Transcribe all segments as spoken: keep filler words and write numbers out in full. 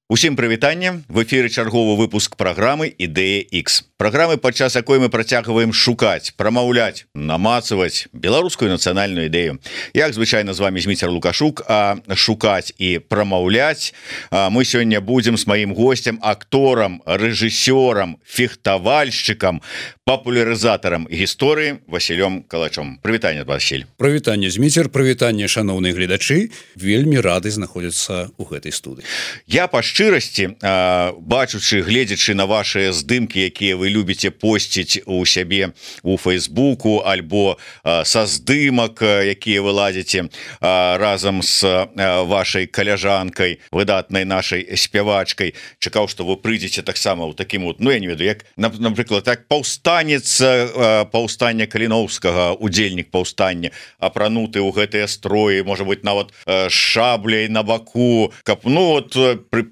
Усім прывітанне, в эфіры чарговы выпуск праграмы Ідэя X. Праграмы, падчас якой мы працягваем шукаць, прамаўляць, намацаваць беларускую нацыянальную ідэю. Як звычайна з вами Зміцер Лукашук, а шукаць і прамаўляць мы сёння будзем з маім гостем, акторам, рэжысёрам, фехтавальшчыкам, папулярызатарам гісторыі Васілём Калачом. Прывітанне, Васіль. Прывітанне, Зміцер, прывітанне, шаноўныя гледачы. Вельмі рады знаходзіцца ў гэтай студыі. Я па шчырасці, бачучы, гледзячы на вашыя здымкі, якія вы любіце посціць у сябе у Фейсбуку, альбо са здымак, якія вы ладзіце разам з вашай каляжанкай, выдатнай нашай спявачкай, чакаў, што вы прыйдзеце таксама ў такім вот, ну я не ведаю, як, напрыклад, так паўстанец паўстання Каліноўскага, удзельнік паўстання, апрануты ў гэтыя строі, можа быть, нават шабляй на баку, каб, ну вот,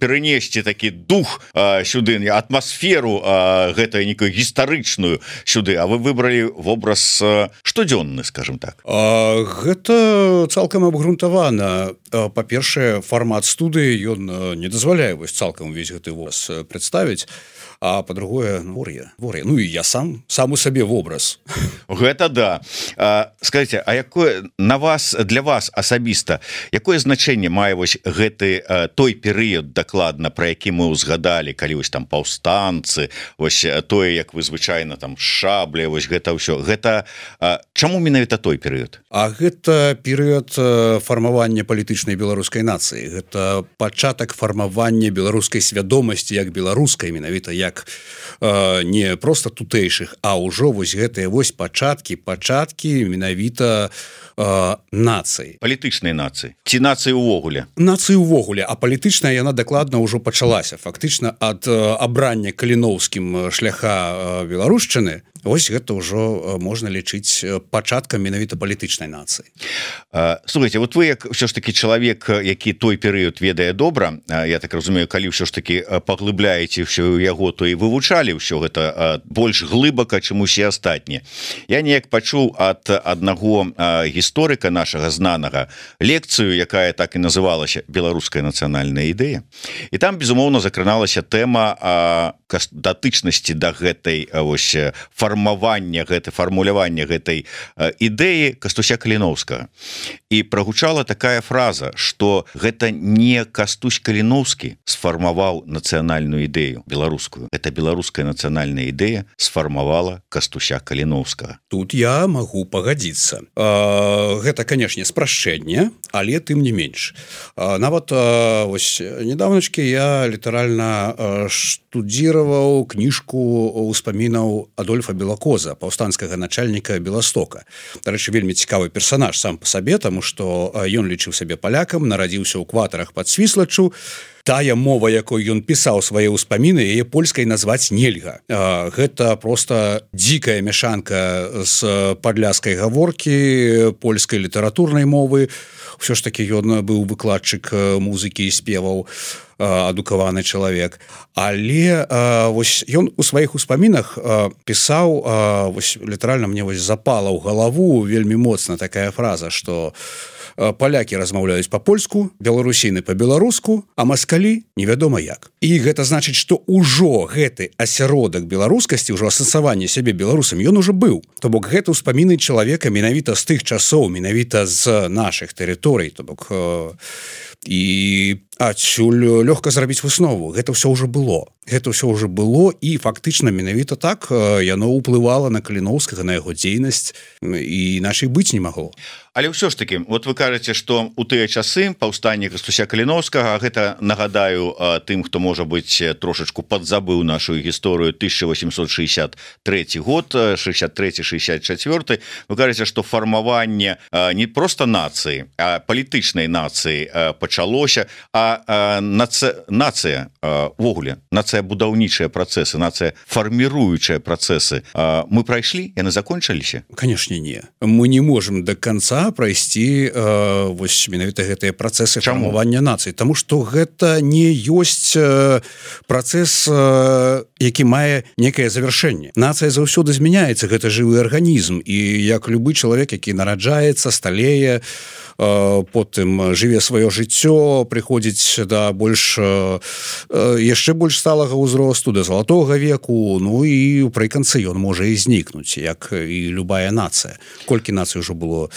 перенесці такі дух а, сюды, атмасферу а, гэтую некую гістарычную сюды, а вы выбралі вобраз а, штодзённы, скажем так. А, гэта цалкам абгрунтавана. Па-першае, фармат студыі ён не дазваляе вось цалкам увесь гэты вобраз прадставіць, а па-другое, вор'я, вор'я. Ну і я сам сам у сабе вобраз. Гэта да. А, скажите, а якое на вас, для вас асабіста, якое значэнне мае вось гэты а, той перыяд дакладна, пра які мы ўзгадалі, калі вось там паўстанцы, вось тое, як вы звычайна там шабля, вось гэта ўсё. Гэта а, чаму менавіта той перыяд? А гэта перыяд фармавання палітычнай беларускай нацыі. Гэта пачатак фармавання беларускай свядомасці як беларускай, менавіта як э, не проста тутэйшых, а ўжо вось гэтыя вось пачаткі, пачаткі менавіта э, нацыі. Палітычнай нацыі. Ці нацыі ўвогуле? Нацыі ўвогуле, а палітычная яна дакладна ўжо пачалася. Фактычна ад э, абрання Каліноўскім шляха э, беларушчыны, вось гэта ўжо можна лічыць пачаткам менавіта палітычнай нацыі. Слухайте, вот вы як ўсё ж таки чалавек, які той перыяд ведае добра, я так разумею, калі ўсё ж таки паглыбляеце ўсё яго, то і вывучалі ўсё гэта больш глыбака, чым усе астатнія. Я неяк пачуў ад аднаго гісторыка нашага знанага лекцыю, якая так і называлася «Беларуская нацыянальная ідэя». І там, безумоўна, закраналася тэма датычнасці да гэтай вось фармавання, гэтай фармулявання гэтай ідэі Кастуся Каліноўскага. І прагучала такая фраза, што гэта не Кастусь Каліноўскі сфармаваў нацыянальную ідэю беларускую. Это беларуская нацыянальная ідэя сфармавала Кастуся Каліноўскага. Тут я магу пагадзіцца. Гэта, канешне, спрашчэнне, але тым не менш. Нават вось недавнечкі я літаральна штудзіраваў кніжку ўспамінаў Адольфа Белакоза, паўстанцкага начальніка Беластока. Дарэчы, вельмі цікавы персанаж сам па сабе, таму што ён лічыў сябе палякам, нарадзіўся ў кватарах пад Свіслаччу. Тая мова, якой ён пісаў свае ўспаміны, яе польскай назваць нельга. Гэта проста дзікая мяшанка з падляскай гаворкі, польскай літаратурнай мовы. Усё ж такі ён быў выкладчык музыкі і спеваў, адукаваны чалавек. Але вось ён у сваіх успамінах пісаў, вось літаральна мне вось запала ў галаву вельмі моцна такая фраза, што палякі размаўляюць па-польску, беларусіны па-беларуску, а маскалі невядома як. І гэта значыць, што ўжо гэты асяродак беларускасці, ўжо асэнсаванне сябе беларусам, ён ужо быў. То бок гэта ўспаміны чалавека менавіта з тых часоў, менавіта з нашых тэрыторый, то бок і адсюль лёгка зрабіць выснову. Гэта ўсё ўжо было. Гэта ўсё ўжо было, і фактычна менавіта так яно ўплывала на Каліноўскага, на яго дзейнасць, і нашай быць не магло. Але ўсё ж таки, вот вы кажаце, што у тыя часы паўстанне Кастуся Каліноўскага, гэта, нагадаю тым, хто, можа быць, трошачку падзабыў нашу гісторыю, тысяча восемьсот шестьдесят третий год, шестьдесят третий шестьдесят четвёртый, вы кажаце, што фармаванне не проста нацыі, а палітычнай нацыі пачалося, а нацыя, нацыя увогуле, нацыя будаўнічыя працэсы, нацыя фарміруючыя працэсы, мы прайшлі, яны закончыліся? Канешне, не. Мы не можам до конца прайсці э, вось менавіта гэтыя працэсы фармавання нацыі, таму што гэта не ёсць э, працэс, э, які мае некае завяршэнне. Нацыя заўсёды змяняецца, гэта жывы арганізм, і як любы чалавек, які нараджаецца, сталее, потым жыве сваё жыццё, жыццё прыходзіць да больш яшчэ больш сталага ўзросту, да залатога веку, ну і прыканцы ён можа і знікнуць, як і любая нацыя. Колькі нацый ужо было,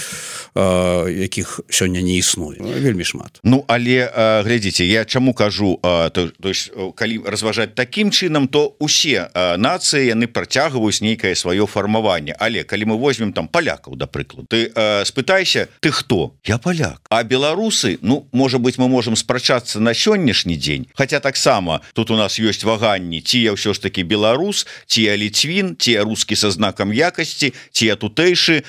якіх сёння не існуе, вельмі шмат. Ну але глядзіце, я чаму кажу, то, то есть, калі разважаць такім чынам, то усе нацыі яны працягваюць нейкае сваё фармаванне. Але калі мы возьмем там палякаў, да прыкладу, ты спытайся, ты хто? Я паляк. А беларусы, ну можа быть, мы можем спрачацца на сённяшні дзень, хотя таксама тут у нас ёсць ваганні, ці я ўсё ж таки беларус, ці я ліцвін, ці я рускі са знакам якасці, ці я тутэйшы.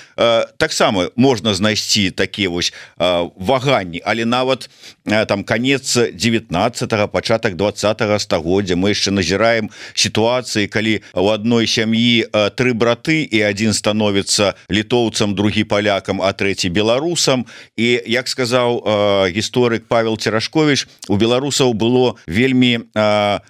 Таксама можна знайсці такія вось ваганні, але нават там канец девятнадцатого, пачатак двадцатого стагоддзя мы яшчэ назіраем сітуацыі, калі у адной сям'і тры браты і адзін становіцца літоўцам, другі палякам, а трэці беларусам. І як сказаў гісторык Павел Церашкович, у беларусаў было вельмі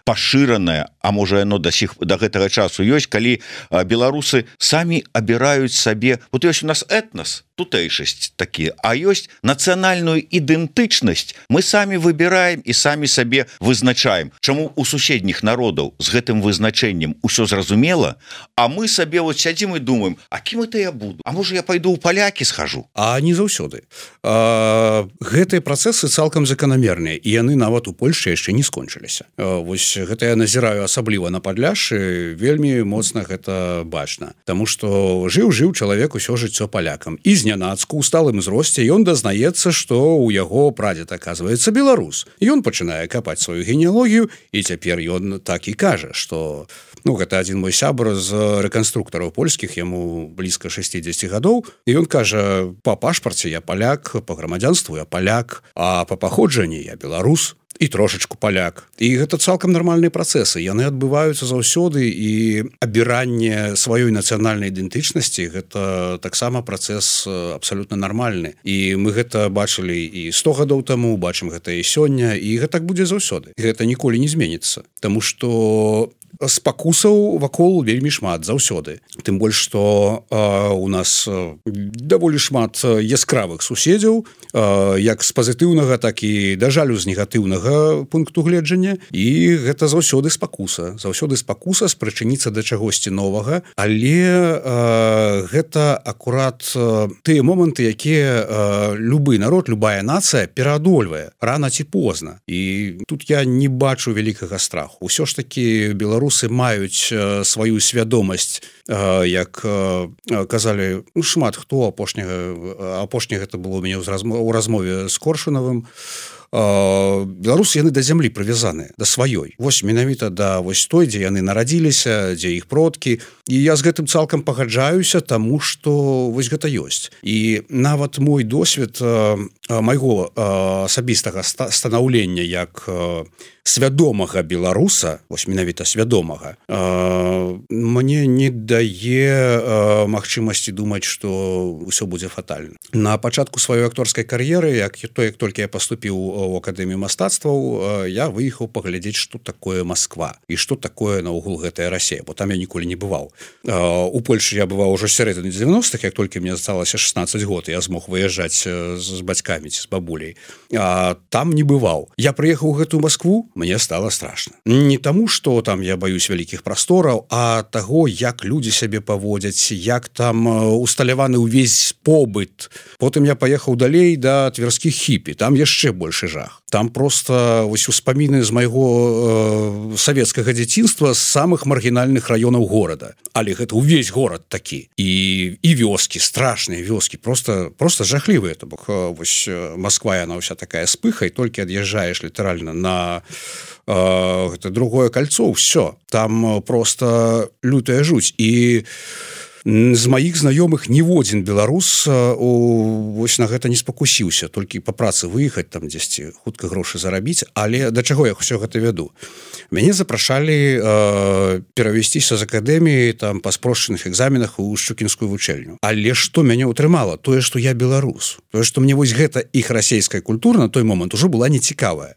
пашыранае, а можа яно да сіх да гэтага часу ёсць, калі беларусы самі абіраюць сабе, вот ёсць у нас этнос, тутэйшасць такі, а ёсць нацыянальную ідэнтычнасць мы самі выбіраем і самі сабе вызначаем. Чаму у суседніх народаў з гэтым вызначэннем усё зразумела, а мы сабе вот сядзім і думаем, а кім это я буду? А можа я пайду ў палякі схожу? А не заўсёды. Гэтыя працэсы цалкам заканамерныя, і яны нават у Польшчы яшчэ не скончыліся. Вось гэта я назіраю асабліва на Падляшшы, вельмі моцна гэта бачна. Таму што жыў-жыў чалавек усё жыццё палякам. І знянацку ў сталым узросце ён дазнаецца, што ў яго прадзед, аказваецца, беларус. Ён пачынае капаць сваю генеалогію, і цяпер ён так і кажа, што ну гэта адзін мой сябр з рэканструктараў польскіх, яму блізка шэсцідзесят гадоў, і ён кажа, па пашпарце я паляк, па грамадзянству я паляк, а па паходжанні я беларус і трошачку паляк. І гэта цалкам нармальныя працэсы, яны адбываюцца заўсёды, і абіранне сваёй нацыянальнай ідэнтычнасці гэта таксама працэс абсалютна нармальны. І мы гэта бачылі і сто гадоў таму, бачым гэта і сёння, і гэта так будзе заўсёды. Гэта ніколі не зменіцца, таму што спакусаў вакол вельмі шмат заўсёды. Тым больш, што э, у нас э, даволі шмат яскравых суседзяў, э, як з пазітыўнага, так і, да жалю, з негатыўнага пункту гледжання. І гэта заўсёды спакуса. Заўсёды спакуса спрычыніцца да чагосьці новага, але э, гэта акурат э, тыя моманты, якія э, любы народ, любая нацыя пераадольвае рана ці позна. І тут я не бачу вялікага страху. Усё ж такі беларусы Беларусы маюць сваю свядомасць, як казалі ну, шмат хто апошняга апошняга гэта было ў мяне ў размове з Коршунавым. Беларусы яны да зямлі прывязаныя, да сваёй. Вось менавіта да вось той, дзе яны нарадзіліся, дзе іх продкі. І я з гэтым цалкам пагаджаюся, таму што вось гэта ёсць. І нават мой досвед майго асабістага станаўлення як свядомага беларуса, вось менавіта свядомага, мне не дае магчымасці думаць, што ўсё будзе фатальна. На пачатку сваёй акторскай кар'еры, як то, як толькі я паступіў у акадэмію мастацтваў, я выехаў паглядзець, што такое Москва і што такое наогул гэтая Расія, бо там я ніколі не бываў. У Польшы я бываў ужо сярэдзіне дзевяностых, як толькі мне засталася шаснаццаць год, я змог выязджаць з бацькамі ці з бабуляй. А там не бываў. Я прыехаў у гэтую Москву, мне стало страшно. Не таму, што там я баюсь вялікіх прастораў, а таго, як людзі сябе паводзяць, як там усталяваны ўвесь побыт. Потым я паехаў далей да тверскіх хіпі, там яшчэ большы жах. Там просто вось успаміны з майго э, савецкага дзяцінства з самых маргінальных раёнаў горада. Але гэта ўвесь горад такі. І, і вёскі, страшныя вёскі, просто, просто жахлівыя. То бок, вось Москва, яна ўся такая з пыхай, толькі ад'язджаеш літаральна на э, гэта другое кольцо, ўсё. Там просто лютая жуць. І з маіх знаёмых ніводзін беларус вось на гэта не спакусіўся, толькі па працы выехаць там дзесьці хутка грошы зарабіць. Але да чаго я ўсё гэта вяду? Мяне запрашалі э, перавесціся з акадэміі там па спрошчаных экзаменах у шчукінскую вучэльню. Але што мяне ўтрымала? Тое, што я беларус. Тое, што мне вось гэта іх расейская культура на той момант ужо была нецікавая.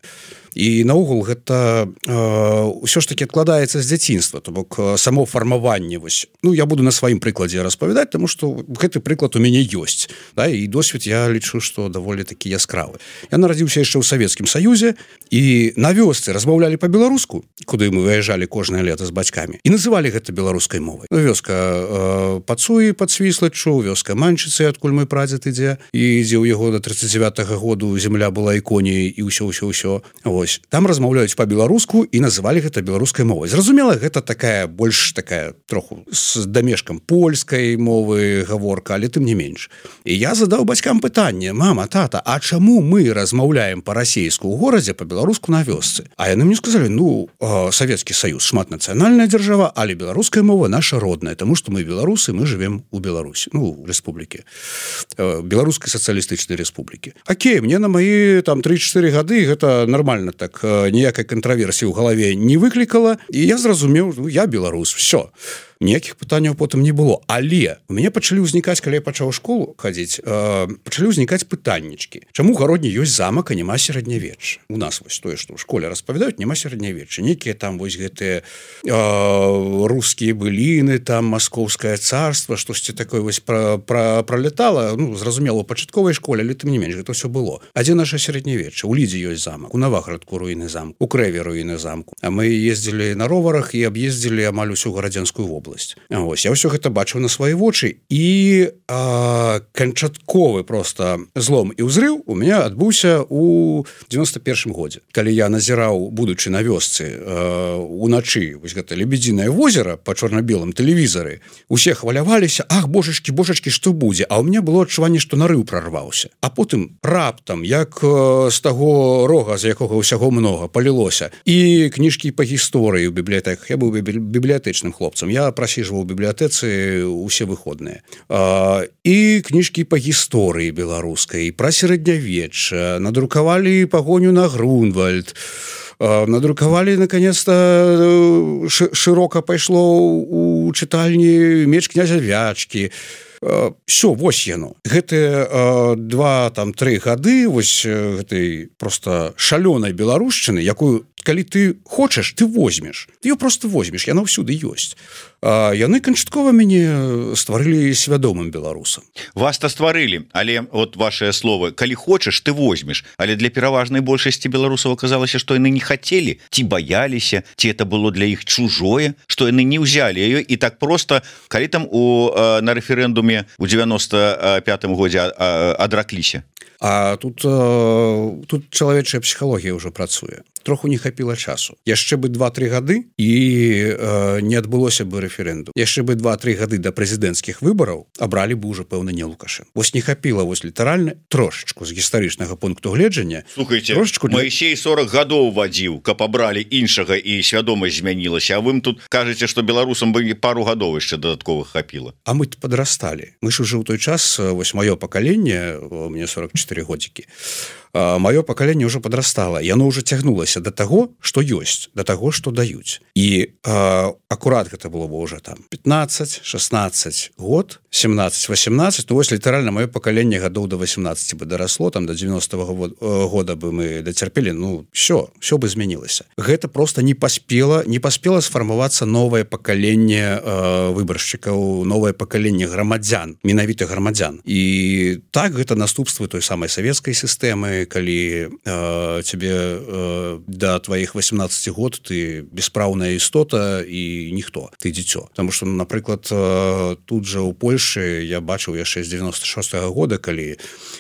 і наогул гэта ўсё ж таки адкладаецца з дзяцінства, то бок само фармаванне вось, ну я буду на сваім прыкладзе распавядаць, тому что гэты прыклад у мяне ёсць, да, і досвед я лічу, што даволі такі яскравы. Я нарадзіўся яшчэ ў Савецкім Саюзе, і на вёсцы размаўлялі па-беларуску, куды мы выязджалі кожнае лета з бацькамі, і называлі гэта беларускай мовай. Ну, вёска э, Пацуі пад Свіслаччу, вёска Манчыцы, адкуль мой прадзед ідзе, і ідзе ў яго до тридцать девятого году земля была іконяй і ўсё ўсё ўсё. Вось там размаўляюць па-беларуску і называлі гэта беларускай мовай. Зразумела, гэта такая больш такая троху з дамешкам польскай мовы гаворка, але тым не менш. І я задаў бацькам пытанне: мама, тата, а чаму мы размаўляем па-расейску ў горадзе, па-беларуску на вёсцы? А яны мне сказалі: ну, э, Савецкі Саюз шматнацыянальная дзяржава, але беларуская мова наша родная, тому што мы беларусы, мы живем у Беларусі, ну, у рэспублікі, э, беларускай сацыялістычнай рэспублікі. Окей, мне на мои там три-четыре гады гэта нормально так, э, ніякай кантраверсіі ў галаве не выклікала, і я зразумеў, ну, я беларус, все. Ніякіх пытанняў потым не было, але у мяне пачалі ўзнікаць, калі я пачаў у школу хадзіць, э, пачалі ўзнікаць пытаннічкі. Чаму ў гародні ёсць замак, а няма сярэднявечча? У нас вось тое, што ў школе распавядаюць, няма сярэднявечча. Некія там вось гэтыя э, рускія быліны, там маскоўскае царства, штосьці такое вось пра, пра, пралетала, ну, зразумела, у пачатковай школе, але тым не менш, гэта ўсё было. А дзе наша сярэднявечча? У Лідзе ёсць замак, у Наваградку руіны замку, у Крэве руіны замку. А мы ездзілі на роварах і аб'ездзілі амаль усю гарадзянскую вобласць. Ось, я ўсё гэта бачыў на свае вочы, і а, канчатковы просто злом і ўзрыў у меня адбыўся у девяносто первом годзе, калі я назіраў, будучы на вёсцы, уначы вось гэта Лебедзінае возера па чорна-белым тэлевізары, усе хваляваліся: ах, божачкі, божачкі, што будзе? А ў мяне было адчуванне, што нарыў прарваўся. А потым раптам, як з таго рога, з якога ўсяго многа, палілося, і кніжкі па гісторыі ў бібліятэках. Я быў бібліятэчным хлопцам, я прасіжваў у бібліятэцы усе выходныя. А, і кніжкі па гісторыі беларускай, пра сярэднявечча, надрукавалі пагоню на Грунвальд, надрукавалі, наконец-то, широка пайшло у чытальні Меч князя Вячкі. Все, вось яно. Гэтыя два, там, тры гады вось гэтай просто шалёнай беларушчыны, якую, калі ты хочаш, ты возьмеш. Ты её просто возьмеш, яна ўсюды ёсць. А яны канчаткова мяне стварылі свядомым беларусам. Вас-то стварылі, але от вашыя словы: калі хочаш, ты возьмеш. Але для пераважнай большасці беларусаў аказалася, што яны не хацелі, ці баяліся, ці это было для іх чужое, што яны не ўзялі яе, і так просто, калі там у, на рэферэндуме у девяносто пятом годзе адракліся. А тут, тут чалавечая псіхалогія ўжо працуе. Троху не хапіла часу. Яшчэ бы два-тры гады, і э, не адбылося бы рэферэндум. Яшчэ бы два-тры гады да прэзідэнцкіх выбараў абралі бы ўжо, пэўна, не Лукашенко. Вось не хапіла вось літаральна трошачку з гістарычнага пункту гледжання. Слухайте, Маісей сорок гадоў вадзіў, каб абралі іншага і свядомасць змянілася, а вы тут кажаце, што беларусам бы пару гадоў яшчэ дадатковых хапіла. А мы падрасталі. Мы ж уже ў той час, вось маё пакаленне, мне сорок четыре годзікі, маё пакаленне ўжо падрастала, яно ўжо цягнулася да таго, што ёсць, да таго, што даюць. І а, акурат гэта было бы ўжо там пятнадцать шестнадцать год, семнадцать восемнадцать, ну вось літаральна маё пакаленне гадоў до восемнадцати бы дарасло, там до девяностого года бы мы дацярпелі, ну все, все бы змянілася. Гэта просто не паспела, не паспела сфармавацца новае пакаленне э, выбаршчыкаў, новае пакаленне грамадзян, менавіта грамадзян. І так гэта наступствы той самай савецкай сістэмы, калі э, тебе э, до твоих восемнадцати год ты беспраўная істота і ніхто, ты дзіцё. Таму што, напрыклад, э, тут жа ў Польшы я бачыў яшчэ з девяносто шестого года, калі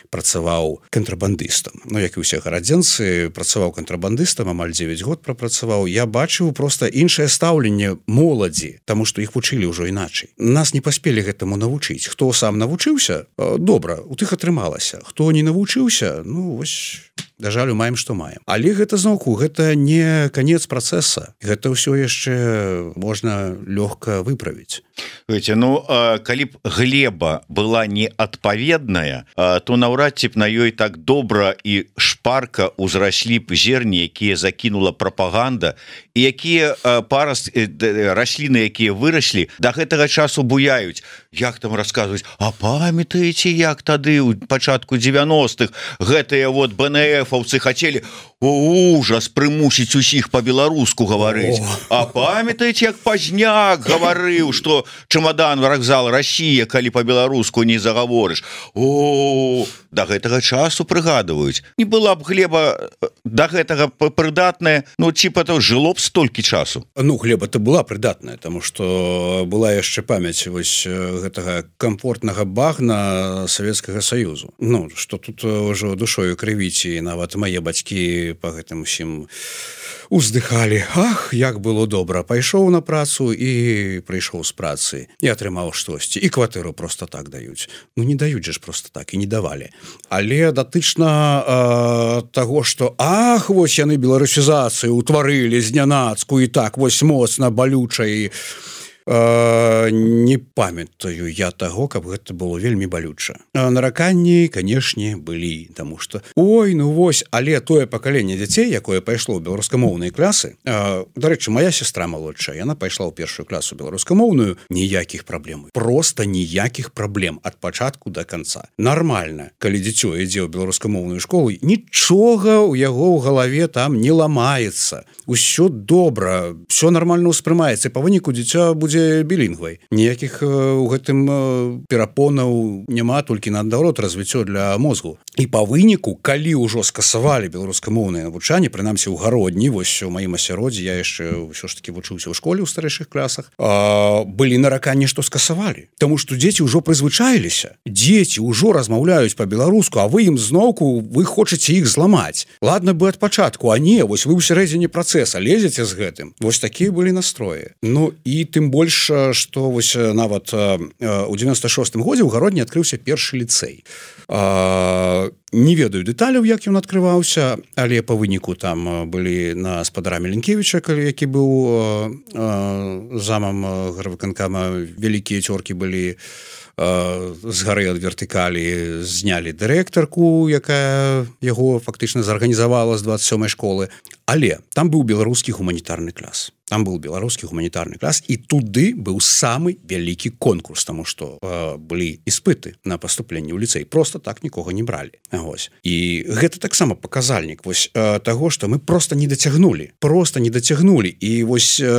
працаваў кантрабандыстам. Ну, як і ўсе гарадзенцы, працаваў кантрабандыстам, амаль девять год прапрацаваў. Я бачыў проста іншае стаўленне моладзі, таму што іх вучылі ўжо іначай. Нас не паспелі гэтаму навучыць. Хто сам навучыўся, э, добра, у тых атрымалася. Хто не навучыўся, ну, вось, да жалю, маем, што маем. Але гэта, зноўку, гэта не канец працэса. Гэта ўсё яшчэ можна лёгка выправіць. Видите, ну, калі б глеба была неадпаведная, то наўрад ці б на ёй так добра і шпарка ўзраслі б зерні, якія закінула прапаганда, і якія параст расліны, якія выраслі, да гэтага часу буяюць. Як там расказваюць: а памятаеце, як тады ў пачатку девяностых гэтыя вот бэ эн эфаўцы хацелі: ужас прымусіць усіх по-беларуску гаварыць. А памятаеце, як Пазняк гаварыў, што чемодан вакзал Россия, калі по-беларуску не загаворыш. О, да гэтага часу прыгадваюць. Не была б Глеба да гэтага прыдатная, ну типа то жыло б столькі часу. Ну Глеба-то была прыдатная, тому что была яшчэ памяць вось гэтага комфортнага багна Савецкага Саюзу. Ну что тут ўжо душою крывіць, і нават мае бацькі по гэтым усім уздыхалі. Ах, як было добра, пайшоў на працу і прыйшоў з працы і атрымаў штосьці, і кватэру просто так даюць. Ну не даюць же ж просто так, і не давалі. Але датычна э, таго, што ах, вось яны беларусізацыю утварылі знянацку і так вось моцна балюча, і Uh, не памятаю я таго, каб гэта было вельмі балюча. Uh, нараканні, канешне, былі, таму што ой, ну вось, але тое пакаленне дзяцей, якое пайшло ў беларускамоўныя класы, uh, дарэчы, моя сестра малодшая, яна пайшла ў першую класу беларускамоўную, ніякіх праблем. Просто ніякіх праблем ад пачатку да канца. Нармальна, калі дзіцё ідзе ў беларускамоўную школу, нічога ў яго ў галаве там не ламаецца. Усё добра, все нармальна ўспрымаецца, па выніку дзіця будзе білінгвай. Ніякіх у гэтым перапонаў няма, толькі наадварот развіццё для мозгу. І па выніку, калі ўжо скасавалі беларускамоўнае навучанне, прынамсі ў гародні, вось у маім асяроддзі, я яшчэ ўсё ж таки вучыўся ў школе ў старэйшых класах, а, былі нараканні, што скасавалі. Таму што дзеці ўжо прызвычаіліся. Дзеці ўжо размаўляюць па-беларуску, а вы ім зноўку, вы хочаце іх зламаць. Ладно бы ад пачатку, а не, вось вы ў сярэдзіне працэса лезеце з гэтым. Вось такія былі настроі. Ну і тым больш, што вось нават у девяносто шостым годзе ў гародні адкрыўся першы ліцэй. Не ведаю дэталяў, як ён адкрываўся, але па выніку там былі на спадара Меленкевіча, які быў замам гарвыканкама, вялікія цёркі былі з гары ад вертыкалі, знялі дырэктарку, якая яго фактычна зарганізавала з двадцать сёмай школы. Але там быў беларускі гуманітарны клас. Там быў беларускі гуманітарны клас, і туды быў самы вялікі конкурс, таму што э, былі іспыты на паступленне ў ліцэй. Просто так нікога не бралі. Вось. І гэта таксама паказальнік вось э, таго, што мы просто не дацягнулі. Просто не дацягнулі. І вось э,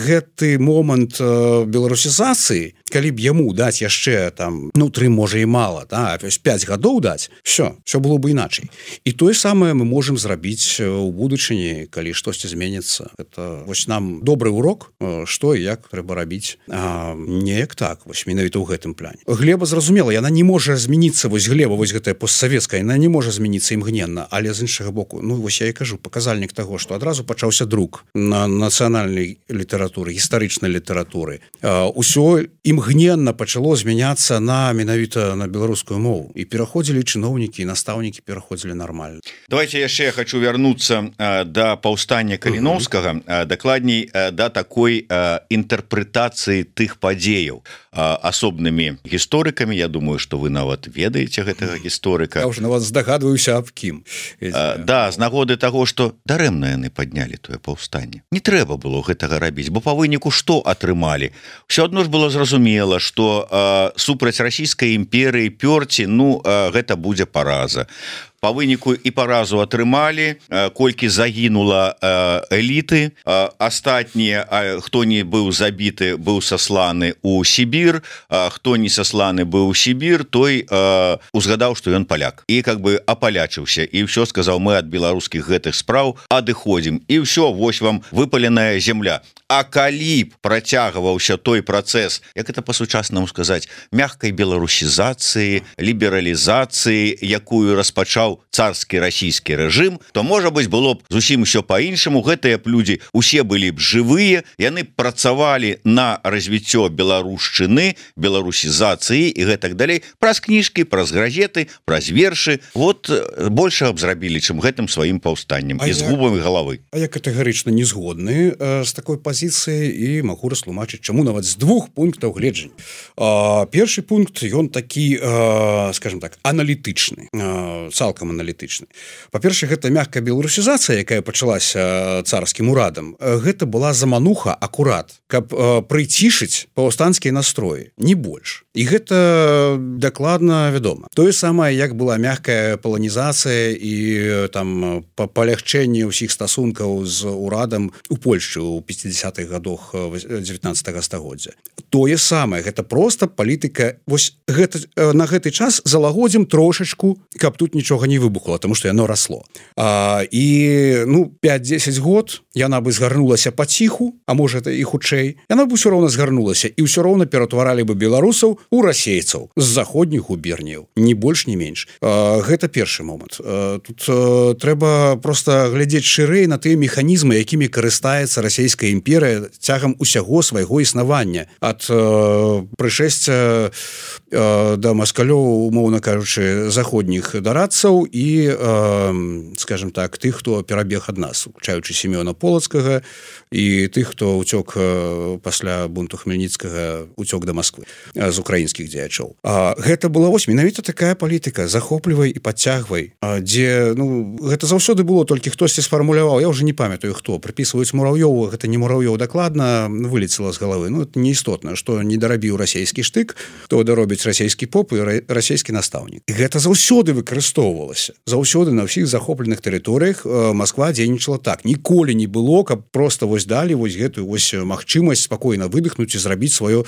гэты момант э, беларусізацыі, калі б яму даць яшчэ там, ну, тры, можа, і мала, да, пяць гадоў даць, все, все было бы іначай. І тое самае мы можам зрабіць у будучыні, калі штосьці зменіцца. Это вось нам добры урок, што і як трэба рабіць. А, неяк так, вось менавіта ў гэтым плане. Глеба, зразумела, яна не можа змяніцца, вось Глеба, вось гэтая постсавецкая, яна не можа змяніцца імгненна, але з іншага боку, ну, вось я і кажу, паказальнік таго, што адразу пачаўся друк на нацыянальнай літаратуры, гістарычнай літаратуры. А, усё імгненна пачало змяняцца на менавіта на беларускую мову. І пераходзілі чыноўнікі, і настаўнікі пераходзілі нармальна. Давайте яшчэ я хочу вярнуцца а, да паўстання Каліноўскага, а, дакладней а, да такой а, інтэрпрэтацыі тых падзеяў а, асобнымі гісторыкамі. Я думаю, што вы нават ведаеце гэтага гісторыка. Я ўжо на вас здагадваюся, аб кім. А, да, з нагоды таго, што дарэмна яны паднялі тое паўстанне. Не трэба было гэтага рабіць, бо па выніку што атрымалі? Усё адно ж было зразумела, што а, супраць расійскай імперыі пёрці, ну, а, гэта будзе параза. По выніку і паразу атрымалі, колькі загінула эліты, астатнія, хто не быў забіты, быў сасланы ў Сібір, хто не сасланы быў у Сібір, той узгадаў, што ён паляк. І как бы апалячыўся, і ўсё сказаў, мы ад беларускіх гэтых спраў адыходзім. І ўсё, вось вам выпаленая земля. А калі б працягваўся той працэс, як это па-сучаснаму сказаць, мягкай беларусізацыі, лібералізацыі, якую распачаў царскі расійскі рэжым, то, можа быць, было б зусім усё па-іншаму. Гэтыя б людзі усе былі б жывыя, яны працавалі на развіццё беларушчыны, беларусізацыі і гэтак далей, праз кніжкі, праз газеты, праз вершы. Вот большага б зрабілі, чым гэтым сваім паўстаннем і згубамі галавы. А я катэгарычна не згодны э, з такой пазіцыяй і магу растлумачыць, чаму нават з двух пунктаў гледжання. Э, першы пункт, ён такі, э, скажем так, аналітычны, э, цалкам аналітычны. Па-першае, гэта мягкая беларусізацыя, якая пачалася царскім урадам, гэта была замануха акурат, каб э, прыцішыць паўстанцкія настроі, не больш. і гэта дакладна вядома. Тое самае, як была мягкая паланізацыя і там палягчэнне ўсіх стасункаў з урадам у Польшчы ў пяцідзясятых гадах дзевятнаццатага стагоддзя. Тое самае, гэта просто палітыка. Вось гэта, на гэты час залагодзім трошачку, каб тут нічога не выбухла, тому што яно расло. А, і ну пяць-дзесяць год яна бы згарнулася паціху, а можа это і хутчэй, яна бы ўсё роўна згарнулася і ўсё роўна ператваралі бы беларусаў у расейцаў з заходніх губерняў, ні больш ні менш. А, гэта першы момант. А, тут а, трэба просто глядзець шырэй на тыя механізмы, якімі карыстаецца расійская імперыя цягам усяго свайго існавання, ад а, прышэсця а, да маскалёў, умоўна кажучы, заходніх дарадцаў і, а, скажем так, тых, хто перабег ад нас, уключаючы Семёна Полацкага і тых, хто ўцёк пасля бунту Хмельніцкага, уцёк да Москвы з украінскіх дзеячоў. А, гэта была вось менавіта такая палітыка: захоплівай і падцягвай, а, дзе ну гэта заўсёды было, толькі хтосьці сфармуляваў, я ўжо не памятаю хто, прыпісваюць Мурав'ёву, гэта не Мурав'ёў дакладна, вылецела з галавы. Ну это неістотна, што не дарабіў расійскі штык, то даробіць расійскі поп і расійскі настаўнік. І гэта заўсёды выкарыстоўвалася. Заўсёды на ўсіх захопленых тэрыторыях Москва дзейнічала так. Ніколі не было, каб просто вось далі вось гэтую вось магчымасць спакойна выдыхнуць і зрабіць сваё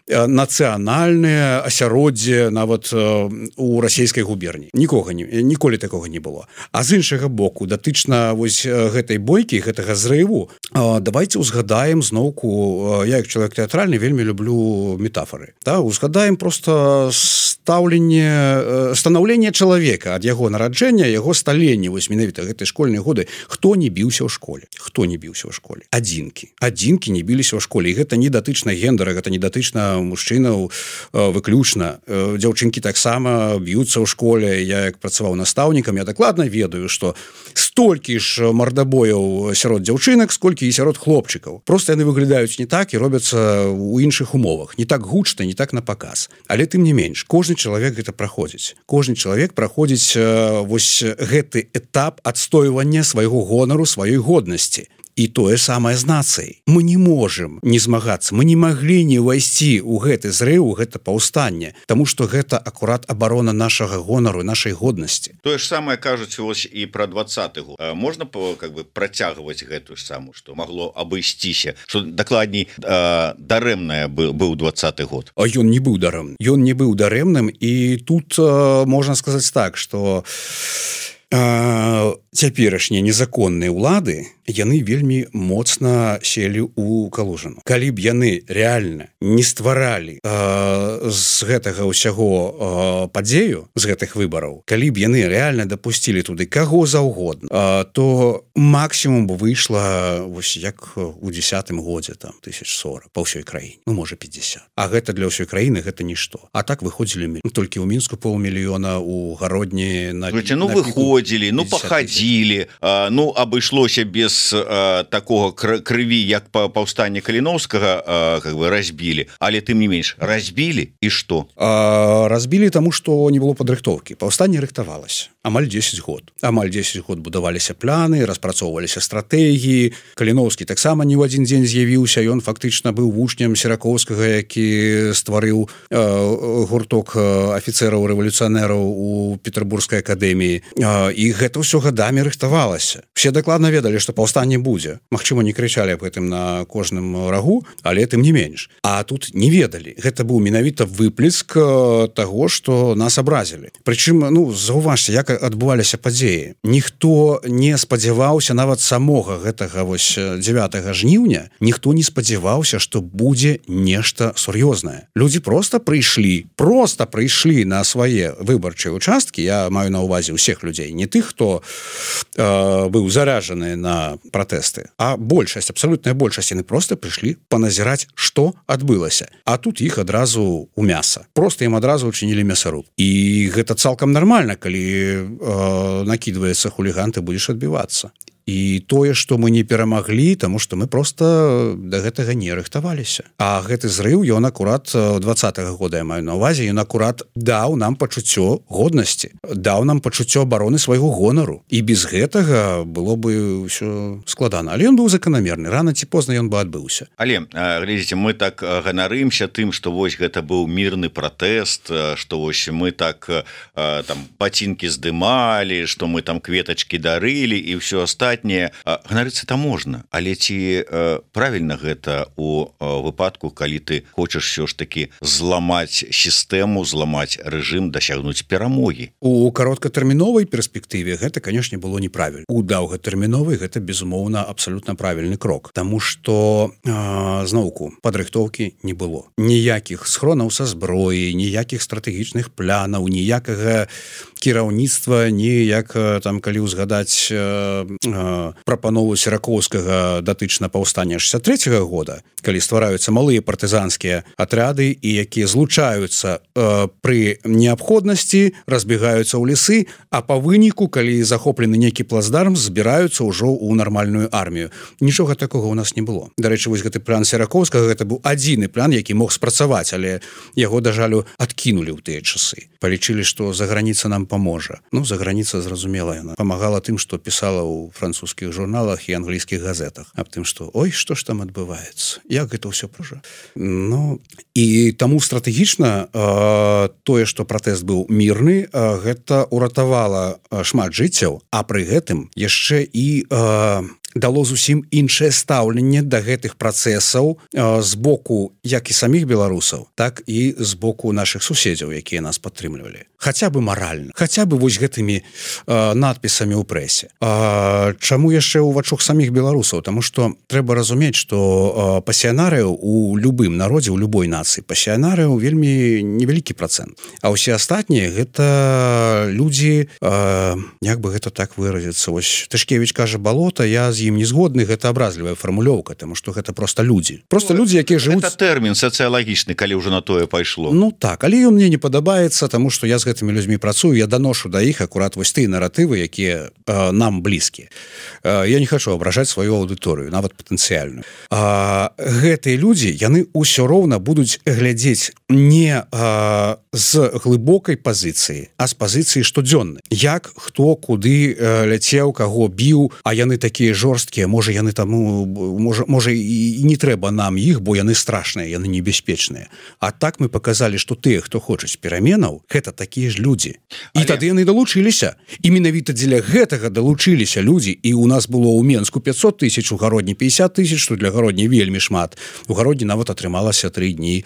нацыянальнае асяроддзе нават у расійскай губерні. Нікога не, ніколі такога не было. А з іншага боку, датычна вось гэтай бойкі, гэтага зрыву, давайте узгадаем зноўку, я як чалавек тэатральны вельмі люблю метафоры. Да? Узгадаем просто стаўленне, станаўленне чалавека ад яго нараджэння, яго сталення, вось менавіта гэтай школьныя годы. Хто не біўся ў школе? Хто не біўся ў школе? Адзінкі. Адзінкі не біліся ў школе. І гэта не датычна гендера, гэта не датычна мужчынаў выключна. Дзяўчынкі таксама б'юцца ў школе. Я як працаваў настаўнікам, я дакладна ведаю, што столькі ж мардабояў сярод дзяўчынак, сколькі і сярод хлопчыкаў. Просто яны выглядаюць не так і робяцца ў іншых умовах. Не так гучна, не так на паказ. Але тым не менш, кожны чалавек гэта праходзіць. Кожны чалавек праходзіць вось гэты этап адстойвання свайго гонару, сваёй годнасці. І тое самае з нацыяй. Мы не можам не змагацца, мы не маглі не ўвайсці ў гэты зрыў, гэта паўстанне, таму што гэта акурат абарона нашага гонару, нашай годнасці. Тое ж самае кажуць вось і пра двадцаты год. Можна как бы працягваць гэтую ж саму, што магло абысціся, што дакладней дарэмнае быў двадцаты год. А ён не быў дарэмным. Ён не быў дарэмным, і тут можна сказаць так, што цяперашнія незаконныя ўлады, яны вельмі моцна селі ў Калужыну. Калі б яны рэальна не стваралі э, з гэтага ўсяго э, падзею, з гэтых выбараў, калі б яны рэальна дапусцілі туды каго заўгодна, э, то максімум бы выйшла вось як у дзесятым годзе, там тысяч сорок па ўсёй краіне, ну можа пятьдесят. А гэта для ўсёй краіны гэта нішто. А так выходзілі ну, толькі ў Мінску паўмільёна, у Гародні на, Слушайте, ну на выходзілі, ну пахадзілі, а, ну абышлося без а, такого крыві, як па паўстанне Каліноўскага а, как бы разбілі, але тым не менш разбілі і што? А, разбілі таму, што не было падрыхтоўкі. Паўстанне рыхтавалася амаль дзесяць год. Амаль дзесяць год будаваліся пляны, распрацоўваліся стратэгіі. Каліноўскі таксама не ў адзін дзень з'явіўся, ён фактычна быў вучнем Серакоўскага, які стварыў а, гурток афіцэраў рэвалюцыянераў у Петербургскай акадэміі. А, і гэта ўсё гадамі рыхтавалася. Все дакладна ведалі, што паўстанне будзе. Магчыма, не крычалі аб гэтым на кожным рагу, але тым не менш. А тут не ведалі. Гэта быў менавіта выплеск таго, што нас абразілі. Прычым, ну, заўважце, як адбываліся падзеі. Ніхто не спадзяваўся, нават самога гэтага вось дзевятага жніўня, ніхто не спадзяваўся, што будзе нешта сур'ёзнае. Людзі проста прыйшлі, проста прыйшлі на свае выбарчыя участкі, я маю на ўвазе ўсіх людзей, не тых, хто э, быў заражаны на пратэсты, а большасць, абсалютная большасць, яны проста прыйшлі паназіраць, што адбылася. А тут іх адразу у мяса. Проста ім адразу учынілі мясаруб. І гэта цалкам нармальна, калі э, накідваецца хуліган, ты будзеш адбівацца. і тое што мы не перамаглі тому что мы просто до гэтага не рыхтаваліся а гэты зрыв ён акурат двадцатого года я маю на увазе ён акурат даў нам пачуццё годнасці даў нам пачуццё абароны свайго гонару і без гэтага было бы ўсё складана але ён быў заканамерны рано ці позна ён бы адбыўся але глядзіце мы так ганарымся тым што вось гэта быў мірны пратэст што вось мы так там пацінкі здымалі што мы там кветачкі дарылі і ўсё астатняе ганарыцца там можна але ці правільна гэта у выпадку калі ты хочаш все ж таки зламаць сістэму зламаць рэжым дасягнуць перамогі у кароткатэрміновай перспектыве гэта канешне было неправільна у даўгатэрміновай гэта безумоўна абсалютна правільны крок тому что зноўку падрыхтоўкі не было ніякіх схронаў са зброі ніякіх стратэгічных планаў ніякага кіраўніцтва ніяк там калі ўзгадаць прапанову Сіракоўскага датычна паўстання шестьдесят третьего года калі ствараюцца малыя партызанскія атряды і якія злучаюцца э, пры неабходнасці разбегаюцца ў лесы а па выніку калі захоплены нейкі плацдарм збіраюцца ўжо ў нармальную армію нічога такога у нас не было дарэчы вось гэты план Сіракоўскага гэта быў адзіны план які мог спрацаваць але яго да жалю адкінулі ў тыя часы палічылі што заграніца нам паможа ну заграніца зразумела яна памагала тым што пісала ў французскіх журналах і англійскіх газетах аб тым што ой што ж там адбываецца як гэта ўсё пража ну і таму стратэгічна э, тое што пратэст быў мірны э, гэта уратавала шмат жыццяў а пры гэтым яшчэ і э, дало зусім іншае стаўленне да гэтых працэсаў э, з боку як і саміх беларусаў так і з боку наших суседзяў якія нас падтрымлівалі хаця бы маральна хаця бы вось гэтымі э, надпісамі ў прэсе э, чаму яшчэ ў вачах саміх беларусаў тому что трэба разумець что э, пасіянарыяў у любым народзе у любой нацыі пасіянарыяў вельмі невялікі працэнт а ўсе астатнія гэта людзі э, як бы гэта так выразіцца вось Тышкевіч кажа балота я з ім не згодны гэта абразлівая фармулёўка тому что гэта просто людзі просто ну, людзі якія жывуць тэрмін сацыялагічны калі ўжо на тое пайшло ну так але ён мне не падабаецца тому что я з гэтымі людзьмі працую я даношу да іх акурат вось тыя наратывы якія э, нам блізкія э, я не хочу абражаць сваю аўдыторыю нават патэнцыяльную гэтыя людзі яны ўсё роўна будуць глядзець не э, з глыбокай пазіцыі а з пазіцыі штодзённай як хто куды э, ляцеў каго біў а яны такія жорсткія можа яны таму можа можа і не трэба нам іх бо яны страшныя яны небяспечныя а так мы показалі што тыя хто хочуць пераменаў гэта такія ж людзі і Але... тады яны далучыліся і менавіта дзеля гэтага далучыліся людзі і у нас было ў Менску пятьсот тысяч у гародні пятьдесят тысяч што для гародні вельмі шмат у гародні нават атрымалася тры дні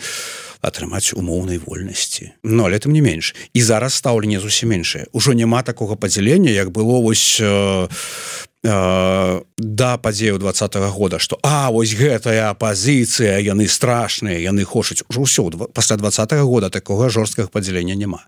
атрымаць умоўнай вольнасці но але тым не менш і зараз стаўленне зусім меншае ужо няма такога падзялення як было вось э, да падзею двадцатого года что а вось гэтая апозіцыя яны страшныя яны хочуць ужо ўсё пасля двадцатого года такога жорсткага падзялення няма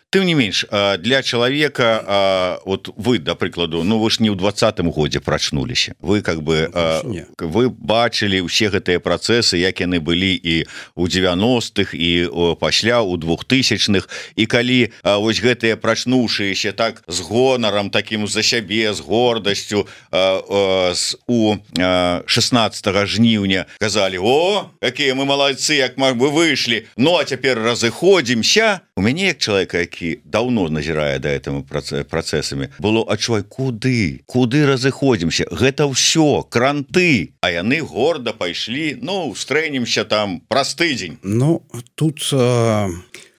тым не менш для чалавека вот вы да прыкладу ну вы ж не ў двадцатым годзе прачнуліся вы как бы не. Вы бачылі ўсе гэтыя працэсы як яны былі і у девяностых і пасля у двухтысячных і калі вось гэтыя прачнуўшыеся так з гонарам таким за сябе з гордасцю у шестнадцатого жніўня казалі о какие мы малайцы як мы выйшлі ну а цяпер разыходзімся у мяне як чалавека які даўно назірае да этому працэсамі было адчувай куды куды разыходзімся гэта ўсё кранты а яны горда пайшлі ну стрэнемся там праз тыдзень ну тут э...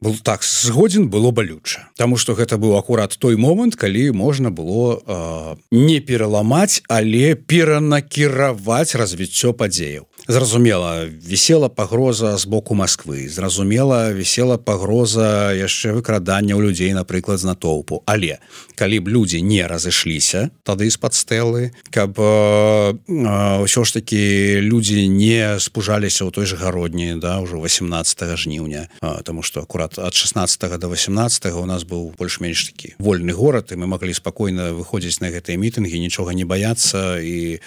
был так згодзін было балюча тому что гэта быў акурат той момант калі можна было э, не пераламаць але перанакіраваць развіццё падзеяў зразумела вісела пагроза з боку Москвы зразумела вісела пагроза яшчэ выкрадання ў людзей напрыклад з натоўпу але калі б людзі не разышліся тады з-пад стэлы каб ўсё ж таки людзі не спужаліся ў той же гародні да ўжо восемнадцатого жніўня тому что акурат от шестнадцатого до восемнадцатого у нас быў больш-менш такі вольны горад і мы маглі спакойна выходзіць на гэтыя мітынгі нічога не баяцца і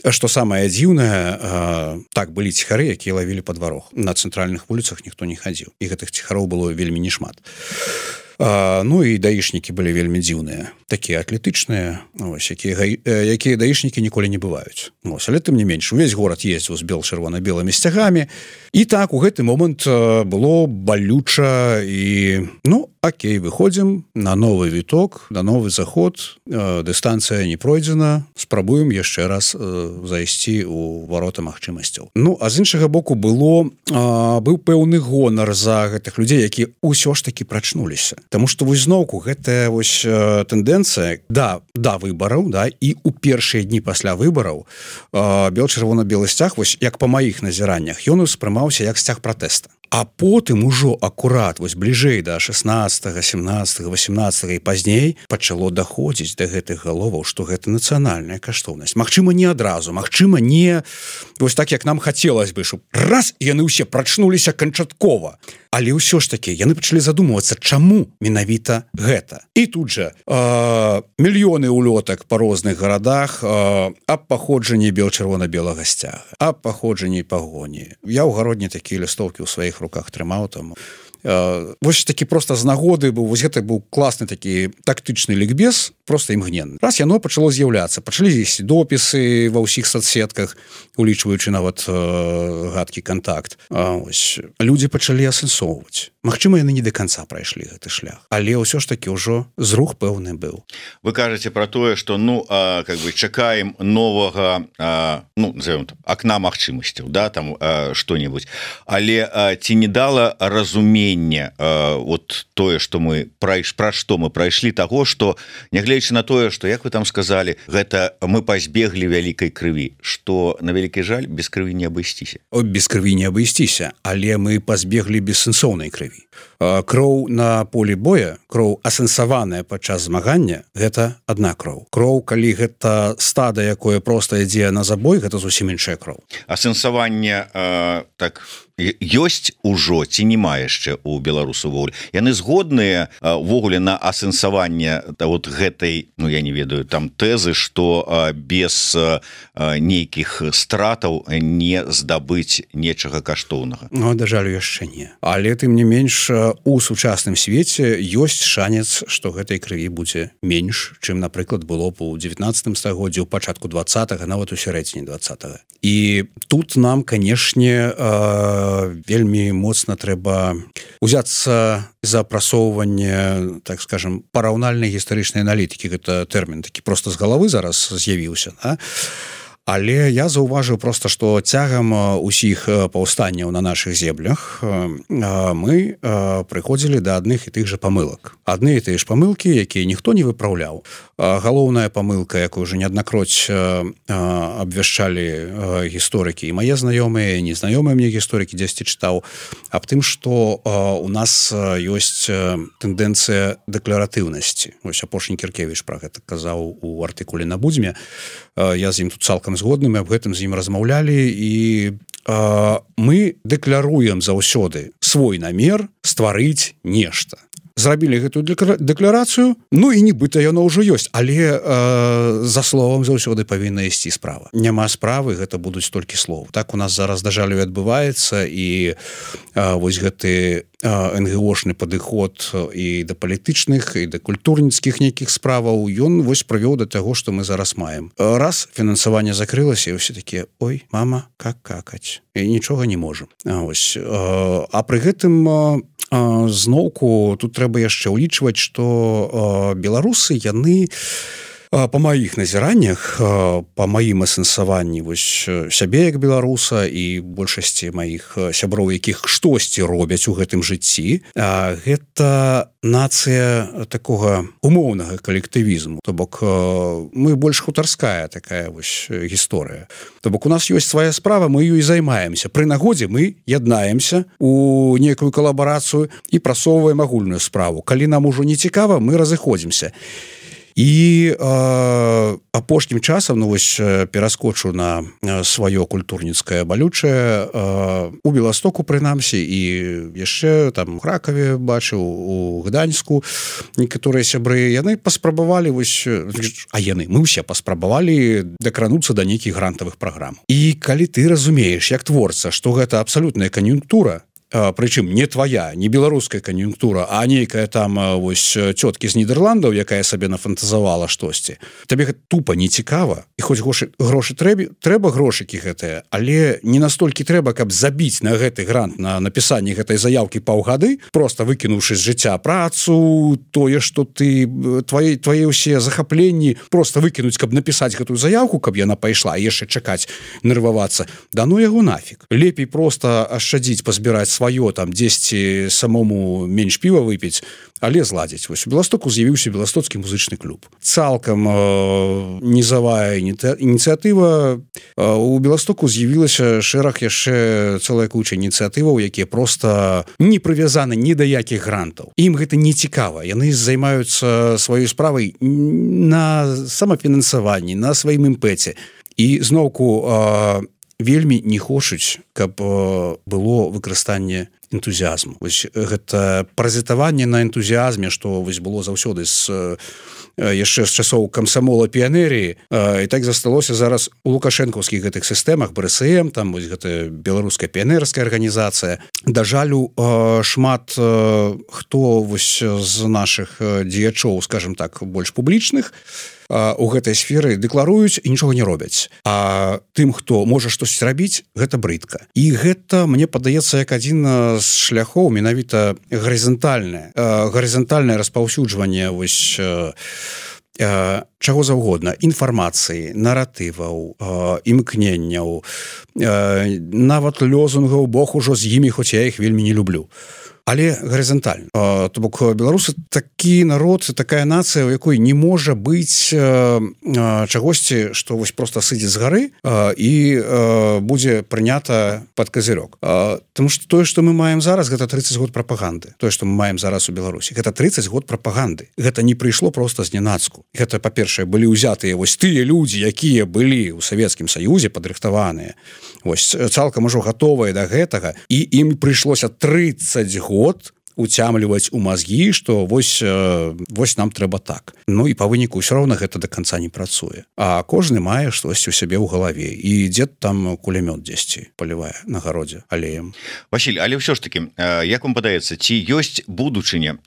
што самае дзіўнае так былі ціхары якія лавілі падварог на цэнтральных вуліцах ніхто не хадзіў і гэтых ціхароў было вельмі не шмат Ну і даішнікі былі вельмі дзіўныя, такія атлетычныя, ось, якія, якія даішнікі ніколі не бываюць. Ось, але тым не менш, увесь горад ездзіў з бел-чырвона-белымі сцягамі, і так у гэты момант было балюча і, ну, окей, выходзім на новы віток, на новы заход, дыстанцыя не пройдзена, спрабуем яшчэ раз зайсці ў варота магчымасцяў. Ну, а з іншага боку было, быў пэўны гонар за гэтых людзей, які ўсё ж такі прачнуліся. Таму што вось зноўку гэтая вось тэндэнцыя да, да выбараў, да, і ў першыя дні пасля выбараў бел-чырвона-белы сцяг, вось як па маіх назіраннях, ён успрымаўся як сцяг пратэста. А потым ужо акурат вось бліжэй да шаснаццатага, сямнаццатага, васемнаццатага і пазней пачало даходзіць да гэтых галоваў, што гэта нацыянальная каштоўнасць. Магчыма, не адразу, магчыма, не вось так, як нам хацелось бы, щоб раз, і яны ўсе прачнуліся канчаткова. Але ўсё ж такі, яны пачалі задумвацца, чаму менавіта гэта. І тут жа э, мільёны улётак па розных гарадах э, аб паходжанні бел-чырвона-белага сцяга, аб паходжанні пагоні. Я ў гародні такія лістоўкі ў сваіх руках трымаў там. Uh, вось такі просто з нагоды быў, вось гэта быў класны такі тактычны лікбез, просто імгненны. Раз яно пачало з'яўляцца, пачалі з'есці допісы ва ўсіх соцсетках, улічваючы нават uh, гадкі контакт. Uh, ось, людзі пачалі асэнсоўваць. Магчыма, яны не до конца прайшлі гэты шлях, але ўсё ж такі ўжо зрух пэўны быў. Вы кажаце про тое, што ну а, как бы чакаем новага а, ну назовем так, акна магчымасцяў, да, там а, што-небудзь, але а, ці не дала разумення а, вот тое, што мы прайш пра што мы прайшлі таго, што нягледзячы на тое, што як вы там сказалі, гэта мы пазбеглі вялікай крыві, што на вялікі жаль без крыві не абысціся. О, без крыві не абысціся, але мы пазбеглі бессэнсоўнай крыві. Кроў на полі боя, кроў асэнсаваная падчас змагання, гэта адна кроў. Кроў, калі гэта стада, якое проста ідзе на забой, гэта зусім іншая кроў. Асэнсаванне э, так ёсць ужо ці няма яшчэ у беларусаў волі. Яны згодныя увогуле на асэнсаванне вот гэтай, ну я не ведаю, там тэзы, што э, без э, нейкіх стратаў не здабыць нечага каштоўнага. Ну, да жалю, яшчэ не. Але тым не менш у сучасным свеце ёсць шанец, што гэтай крыві будзе менш, чым, напрыклад, было б у дзевятнаццатым стагоддзі, у пачатку двадцатага, нават у сярэдзіне двадцатага. І тут нам, канешне, вельмі моцна трэба узяцца за прасоўванне, так скажем, параўнальнай гістарычнай аналітыкі. Гэта тэрмін такі проста з галавы зараз з'явіўся, да? Але я заўважыў проста, што цягам усіх паўстанняў на нашых землях мы прыходзілі да адных і тых жа памылак. Адны і тыя ж памылкі, якія ніхто не выпраўляў. Галоўная памылка, якую уже неаднакроць абвяшчалі гісторыкі, і мае знаёмыя, і незнаёмыя мне гісторыкі дзесьці чытаў, аб тым, што у нас ёсць тэндэнцыя дэкларатыўнасці. Вось апошні Кіркевіч пра гэта казаў у артыкуле на Будзьме. Я з ім тут цалкам згодны, мы аб гэтым з ім размаўлялі, і э, мы дэкляруем заўсёды свой намер стварыць нешта. Зрабілі гэтую дэкларацыю, ну і нібыта яно ўжо ёсць, але э, за словам заўсёды павінна ісці справа. Няма справы, гэта будуць толькі слов. Так у нас зараз, да жалю, адбываецца, і э, вось гэты эн гэ о-шны падыход і да палітычных, і да культурніцкіх нейкіх справаў, ён вось прывёў да таго, што мы зараз маем. Раз фінансаванне закрылася, і ўсе такія: ой, мама, как какаць? І нічога не можам. А, ось, э, а пры гэтым э, зноўку тут трэба яшчэ ўлічваць, што беларусы, яны па маіх назіраннях, па маім асэнсаванні вось сябе як беларуса і большасці маіх сяброў, якіх штосьці робяць у гэтым жыцці, гэта нацыя такога умоўнага калектывізму. То бок мы больш хутарская такая вось гісторыя. То бок у нас ёсць свая справа, мы ёй займаемся. Пры нагодзе мы яднаемся у некую калабарацыю і прасоўваем агульную справу. Калі нам ужо не цікава, мы разыходзімся. І э, апошнім часам, ну вось пераскочу на сваё культурніцкае балючае, э, у Беластоку прынамсі, і яшчэ там у Кракаве бачыў, у Гданьску некаторыя сябры, яны паспрабавалі вось, а яны, мы ўсе паспрабавалі дакрануцца да нейкіх грантавых праграм. І калі ты разумееш, як творца, што гэта абсалютная кан'юнктура, прычым не твоя, не беларуская кан'юнктура, а нейкая там вось цёткі з Нідерландаў, якая сабе нафантазавала штосьці, табе тупа не цікава, і хоць грошы, грошы трэбі, трэба грошыкі гэтыя, але не настолькі трэба, каб забіць на гэты грант, на напісанне гэтай заяўкі паўгады, просто выкінуўшы з жыцця працу, тое, што ты твае, твае ўсе захапленні просто выкінуць, каб напісаць гэтую заявку, каб яна пайшла, і яшчэ чакаць, нервавацца. Да ну яго нафиг. Лепей просто ашчадзіць, пазбіраць сваё, там дзесьці самому менш піва выпіць, але зладзіць. Вось у Беластоку з'явіўся беластоцкі музычны клуб. Цалкам э, низавая ініцыятыва. Э, у Беластоку з'явілася шэраг яшчэ цэлая куча ініцыятываў, якія просто не прывязаны ні да якіх грантаў. Ім гэта не цікава. Яны займаюцца сваёй справай на самафінансаванні, на сваім імпэце. І зноўку э, вельмі не хочуць, каб было выкарыстанне энтузіазму. Вось гэта празітаванне на энтузіазме, што вось было заўсёды з яшчэ з часоў камсамола піянеріі, і так засталося зараз у лукашэнкаўскіх гэтых сістэмах, бэ эс эм, там вось гэта беларуская піянерская арганізацыя. Да жалю, шмат хто вось з нашых дзеячоў, скажем так, больш публічных, у гэтай сферы дэкларуюць і нічога не робяць. А тым, хто можа штосьці рабіць, гэта брыдка. І гэта, мне падаецца, як адзін з шляхоў менавіта гарызантальнае, гарызантальнае распаўсюджванне вось чаго заўгодна, інфармацыі, наратываў, імкненняў, нават лёзунгаў, Бог ужо з імі, хоць я іх вельмі не люблю. Але гарызантальна. То бок беларусы такі народ, такая нацыя, у якой не можа быць чагосьці, што вось просто сыдзе з гары і будзе прынята пад казырок. Таму што тое, што мы маем зараз, гэта трыццаць год прапаганды. Тое, што мы маем зараз у Беларусі, гэта трыццаць год прапаганды. Гэта не прыйшло просто зненацку. Гэта, па-першае, былі ўзятыя вось тыя людзі, якія былі ў Савецкім Саюзе падрыхтаваныя, вось цалкам ужо гатовыя да гэтага, і ім прыйшлося трыццаць год уцямліваць у мазгі, што вось, вось нам трэба так. Ну і па выніку ўсё роўна гэта да канца не працуе. А кожны мае штосьці ў сябе ў галаве. І дзед там кулямёт дзесьці палівае на гародзе алеем. Васіль, але ўсё ж такі, як вам падаецца, ці ёсць будучыня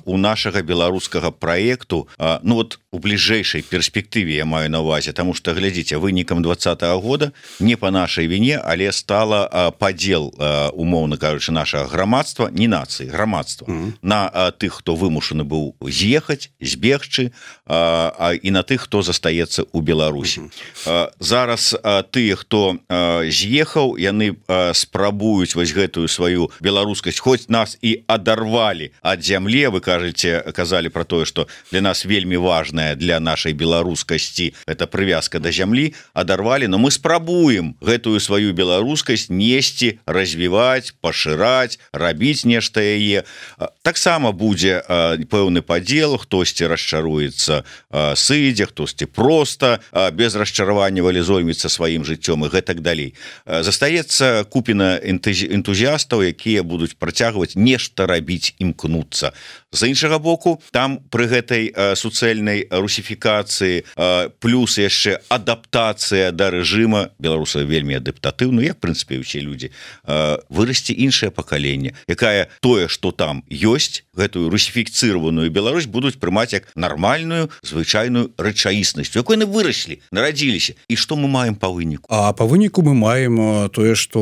у нашага беларускага праекту, ну вот у бліжэйшай перспектыве я маю на ўвазе, таму што, глядзіце, вынікам двадцатага года не па нашай віне, але стала падзел, умоўна кажучы, нашага грамадства, не нацыі, грамадства, Mm-hmm. на а, тых, хто вымушаны быў з'ехаць, збегчы, а, а, і на тых, хто застаецца ў Беларусі. Mm-hmm. А, зараз а, тыя, хто а, з'ехаў, яны а, спрабуюць вось гэтую сваю беларускасць, хоць нас і адарвалі ад зямлі. Вы кажаце, казалі пра тое, што для нас вельмі важная для нашай беларускасці гэта прывязка да зямлі, адарвалі, но мы спрабуем гэтую сваю беларускасць несці, развіваць, пашыраць, рабіць нешта яе. Таксама будзе пэўны падзел, хтосьці расчаруецца, сыдзе, хтосьці проста без расчаравання валізойміцца сваім жыццём і гэтак далей. Застаецца купіна энтузіастаў, якія будуць працягваць нешта рабіць, імкнуцца. З іншага боку, там пры гэтай суцэльнай русіфікацыі плюс яшчэ адаптацыя да рэжыма, беларусы вельмі адаптатыўны, як, прынцыпе, усе людзі, вырасце іншае пакаленне, якая тое, што там ёсць, гэтую русіфікцыраваную Беларусь будуць прымаць як нармальную, звычайную рэчаіснасць, якой яны выраслі, нарадзіліся. І што мы маем па выніку? А па выніку мы маем тое, што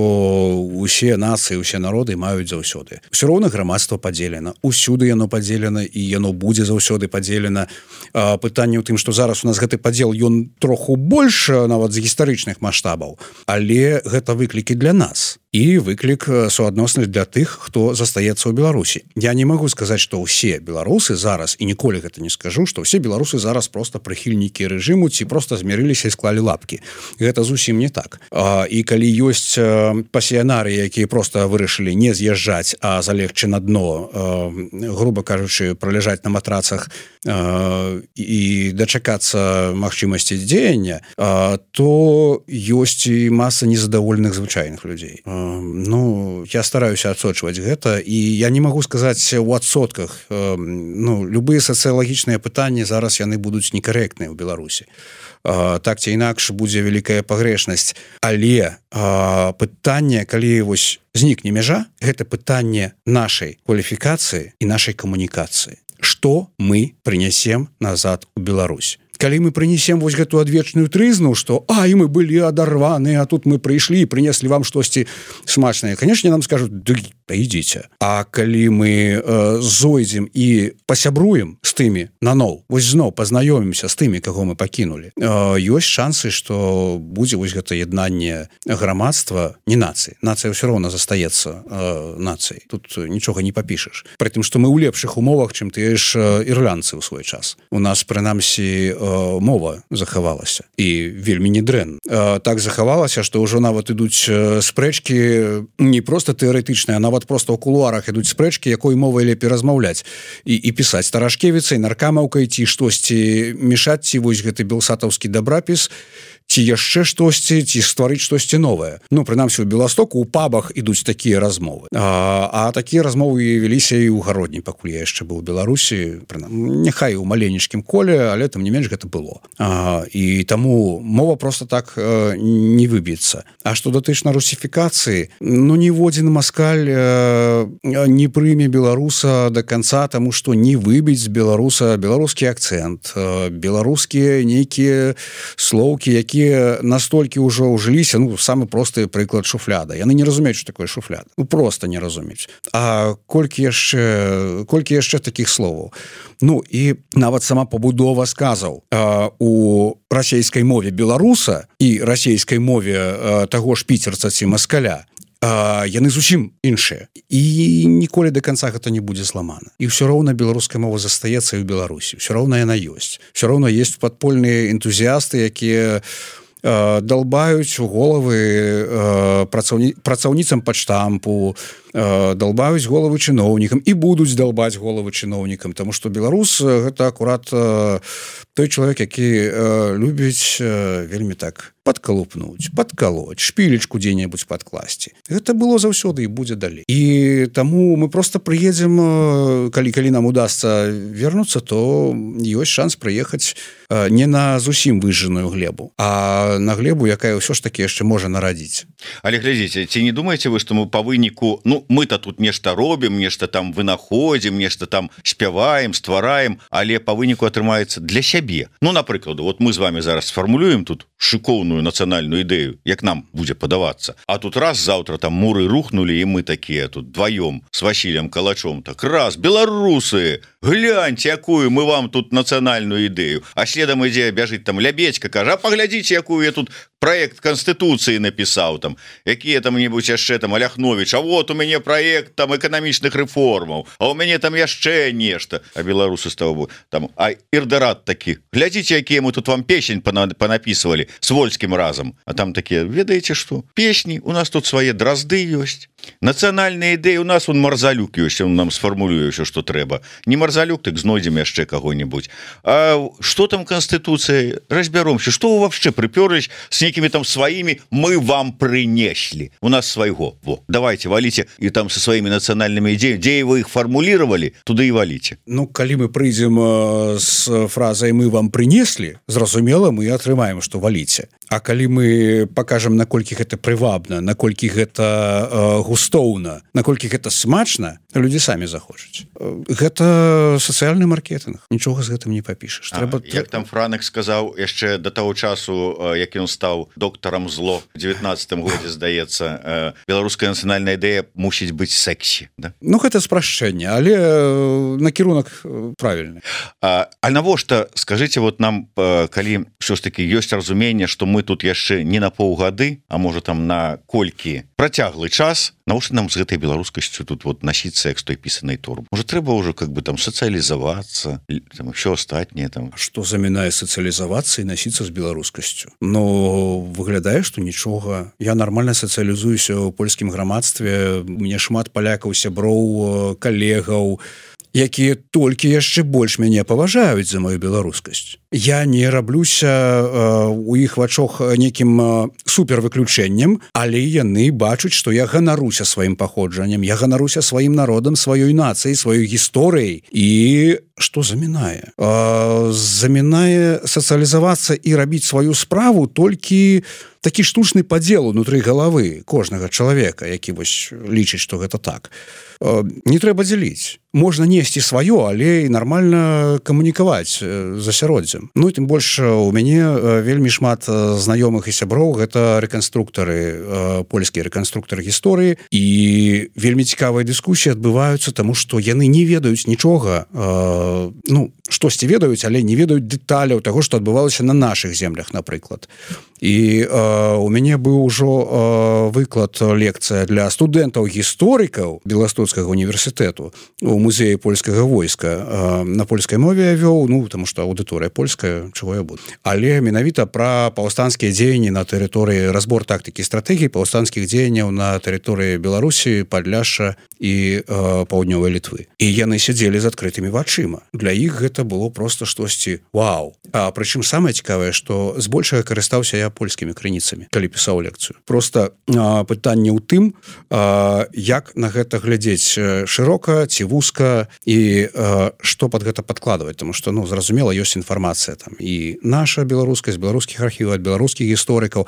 усе нацыі, усе народы маюць заўсёды. Усё роўна грамадства падзелена, усюды яно падзелена, і яно будзе заўсёды падзелена. Пытанне ў тым, што зараз у нас гэты падзел, ён троху больш нават з гістарычных маштабаў, але гэта выклікі для нас. І выклік суадносны для тых, хто застаецца ў Беларусі. Я не магу сказаць, што ўсе беларусы зараз, і ніколі гэта не скажу, што ўсе беларусы зараз проста прыхільнікі рэжыму ці проста змірыліся і склалі лапкі. Гэта зусім не так. І калі ёсць пасіянары, якія проста вырашылі не з'язджаць, а залегчы на дно, груба кажучы, праляжаць на матрацах і дачакацца магчымасці дзеяння, то ёсць і маса незадаволеных звычайных людзей. Ну, я стараюся адсочваць гэта, і я не магу сказаць у адсотках. Ну, любыя сацыялагічныя пытанні зараз яны будуць некарэктныя ў Беларусі. так ці інакш будзе вялікая пагрэшнасць, але пытанне, калі вось знікне мяжа, гэта пытанне нашай кваліфікацыі і нашай камунікацыі. Што мы прынясем назад у Беларусь? Калі мы прынесем вось гэту адвечную трызну, што ай, мы былі адарваны, а тут мы прыйшлі і прынеслі вам штосьці смачнае, канешне, нам скажуць, да ідзіце. А калі мы э, зойдзем і пасябруем з тымі наноў, вось зноў пазнаёмімся з тымі, каго мы пакінулі, э, ёсць шансы, што будзе вось гэта яднанне грамадства, не нацыі. Нацыя ўсё роўна застаецца э, нацыяй. Тут нічога не папішаш. Пры тым, што мы ў лепшых умовах, чым тыя ж ірландцы ў свой час. У нас, прынамсі, э, мова захавалася і вельмі не дрэнна. Так захавалася, што ўжо нават ідуць спрэчкі не проста тэарэтычныя, а нават проста ў кулуарах ідуць спрэчкі, якой мовай лепей размаўляць і, і пісаць старашкевіцай, наркамаўкай ці штосьці мешаць, ці вось гэты белсатаўскі дабрапіс, ці яшчэ штосьці, ці стварыць штосьці новае. Ну, прынамсі, у Беластоку ў пабах ідуць такія размовы. А, а такія размовы вяліся і ў гародні, пакуль я яшчэ быў у Беларусі, няхай у маленечкім коле, але там не менш гэта было. А, і таму мова просто так э, не выб'ецца. А што датычна русіфікацыі, ну, ніводзін маскаль э, не прыме беларуса до конца, таму што не выбіць з беларуса беларускі акцэнт, э, беларускія нейкія слоўкі, якія настолькі ўжо ўжыліся, ну, самы просты прыклад шуфляда. Яны не разумеюць, што такое шуфляд. Ну, просто не разумеюць. А колькі яшчэ, колькі яшчэ такіх словаў? Ну, і нават сама пабудова сказаў э, у расейскай мове беларуса і расейскай мове э, таго ж піцерца ці маскаля, Uh, яны зусім іншыя. І ніколі до конца гэта не будзе зламана. І ўсё роўна беларуская мова застаецца і ў Беларусі. Ўсё роўна яна ёсць. Ўсё роўна ёсць падпольныя энтузіасты, якія uh, далбаюць у головы uh, працаўні... працаўніцам падштампу, uh, далбаюць головы чыноўнікам і будуць далбаць головы чыноўнікам, таму што беларус гэта акурат uh, той чалавек, які uh, любіць uh, вельмі так падкалупнуць, падкалоць, шпілечку дзе-небудзь падкласці. Гэта было заўсёды і будзе далей. І таму мы просто прыедзем, калі калі нам удасца вернуцца, то ёсць шанс прыехаць не на зусім выжжаную глебу, а на глебу, якая ўсё ж такі яшчэ можа нарадзіць. Але глядзіце, ці не думаеце вы, што мы па выніку, ну, мы-то тут нешта робім, нешта там вынаходзім, нешта там спяваем, ствараем, але па выніку атрымаецца для сябе. Ну, напрыклад, вот мы з вами зараз сфармулюем тут шыкоўную нацыянальную ідэю, як нам будзе падавацца. А тут раз заўтра там муры рухнули, і мы такія тут дваём с Васілем Калачом, так раз, беларусы, гляньте, якую мы вам тут нацыянальную ідэю. А следам ідзе бяжыць там Лябедзька, кажа, а паглядзіце, якую я тут проект Конституцыі напісаў там, якія там-небудзь яшчэ там Аляхновіч, а вот у мяне проект там эканамічных рэформаў, а у мяне там яшчэ нешта. А беларусы з таго там, а Ірдарат такі, глядзіце, якія мы тут вам песень панапісвалі с Вольскім разам. А там такія, ведаеце што? Песні, у нас тут свае дразды ёсць. Нацыянальныя ідэі у нас, он Марзалюк ёсць, он нам сфармулюе ўсё, што трэба. Не Марзалюк, так знойдзем яшчэ каго-нибудь. А што там Конституцыя? Разбяромся, што вы вообще прыпёрлись с некімі там сваімі, мы вам прынеслі. У нас свайго. Во, давайте, валіце і там со сваімі нацыянальнымі ідеямі, дзе вы іх фармулировали, туды і валіце. Ну, калі мы прыйдзем з фразай «мы вам прынеслі», зразумела, мы атрымаем, што валіце. А калі мы пакажам, наколькі гэта прывабна, наколькі гэта э, густоўна, наколькі гэта смачна, людзі самі захочуць. Гэта сацыяльны маркетынг. Нічога з гэтым не папішаш. Трэба... А, як там Франек сказаў яшчэ да таго часу, як ён стаў доктарам зло в девятнадцатым годзе, здаецца, беларуская нацыянальная ідэя мусіць быць сексі. Да? Ну, гэта спрашчэнне, але накірунак правільны. А, а навошта, скажыце, вот нам, калі ўсё ж такі ёсць разуменне, што мы тут яшчэ не на паўгады, а можа там на колькі працяглы час, навошта нам з гэтай беларускасцю тут вот насіцца як з той пісанай торбы? Можа, трэба ўжо как бы там сацыялізавацца, там ўсё астатняе там. Што замінае сацыялізавацца і насіцца з беларускасцю? Ну, выглядае, што нічога. Я нармальна сацыялізуюся ў польскім грамадстве, мне шмат палякаў, сяброў, калегаў, якія толькі яшчэ больш мяне паважаюць за маю беларускасць. я не раблюся у іх вачох некім супервыключэннем, але яны бачуць, што я ганаруся сваім паходжаннем, я ганаруся сваім народам, сваёй нацыяй, сваёй гісторыяй. І што замінае? Замінае сацыялізавацца і рабіць сваю справу толькі такі штучны падзел унутры галавы кожнага чалавека, які вось лічыць, што гэта так. Не трэба дзяліць. Можна несці сваё, але і нармальна камунікаваць з асяроддзем. Ну і тым больш у мяне вельмі шмат знаёмых і сяброў, гэта рэканструктары, польскія рэканструктары гісторыі, і вельмі цікавыя дыскусіі адбываюцца, таму што яны не ведаюць нічога, ну, штосьці ведаюць, але не ведаюць дэталяў таго, што адбывалася на нашых землях, напрыклад. І э, у мяне быў ужо э, выклад, лекцыя для студэнтаў-гісторыкаў Беластоцкага універсітэту у музеі польскага войска. Э, на польскай мове я вёў, ну, таму што аўдыторыя польская, чаго я буду. Але менавіта пра паўстанцкія дзеянні на тэрыторыі, разбор тактыкі і стратэгіі паўстанцкіх дзеянняў на тэрыторыі Беларусі, Падляшша і э, паўднёвай Літвы. І яны сядзелі з адкрытымі вачыма. Для іх гэта было проста штосьці вау. А прычым самае цікавае, што збольшага карыстаўся я польскімі крыніцамі, калі пісаў лекцыю. Проста а, пытанне ў тым, а, як на гэта глядзець шырока ці вузка і а, што пад гэта падкладваць, тому што, ну, зразумела, ёсць інфармацыя там і наша беларуская, з беларускіх архіваў, ад беларускіх гісторыкаў.